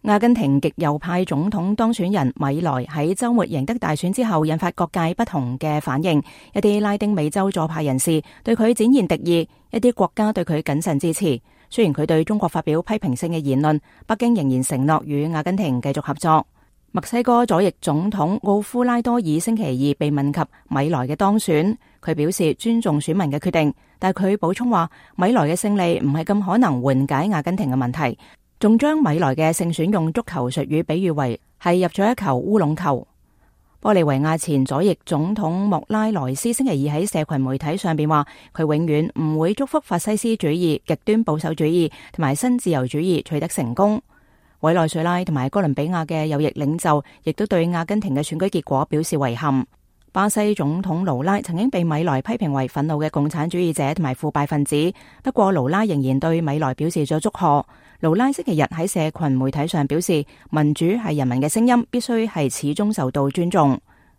阿根廷極右派總統當選人米萊喺週末贏得大選之後，引發各界不同嘅反應。一啲拉丁美洲左派人士對佢展現敵意，一啲國家對佢謹慎支持。雖然佢對中國發表批評性嘅言論，北京仍然承諾與阿根廷繼續合作。墨西哥左翼總統奧夫拉多爾星期二被問及米萊嘅當選，佢表示尊重選民嘅決定，但佢補充話米萊嘅勝利唔係咁可能緩解阿根廷嘅問題。仲將米萊嘅勝選用足球術語比喻為係入咗一球烏龍球。玻利維亞前左翼總統莫拉萊斯星期二喺社群媒體上邊話，佢永遠唔會祝福法西斯主義、極端保守主義同埋新自由主義取得成功。委內瑞拉同埋哥倫比亞嘅右翼領袖亦都對阿根廷嘅選舉結果表示遺憾。巴西總統盧拉曾經被米萊批評為憤怒嘅共產主義者同埋腐敗分子，不過盧拉仍然對米萊表示咗祝賀。盧拉星期日喺社群媒體上表示，民主係人民嘅聲音，必須係始終受到尊重。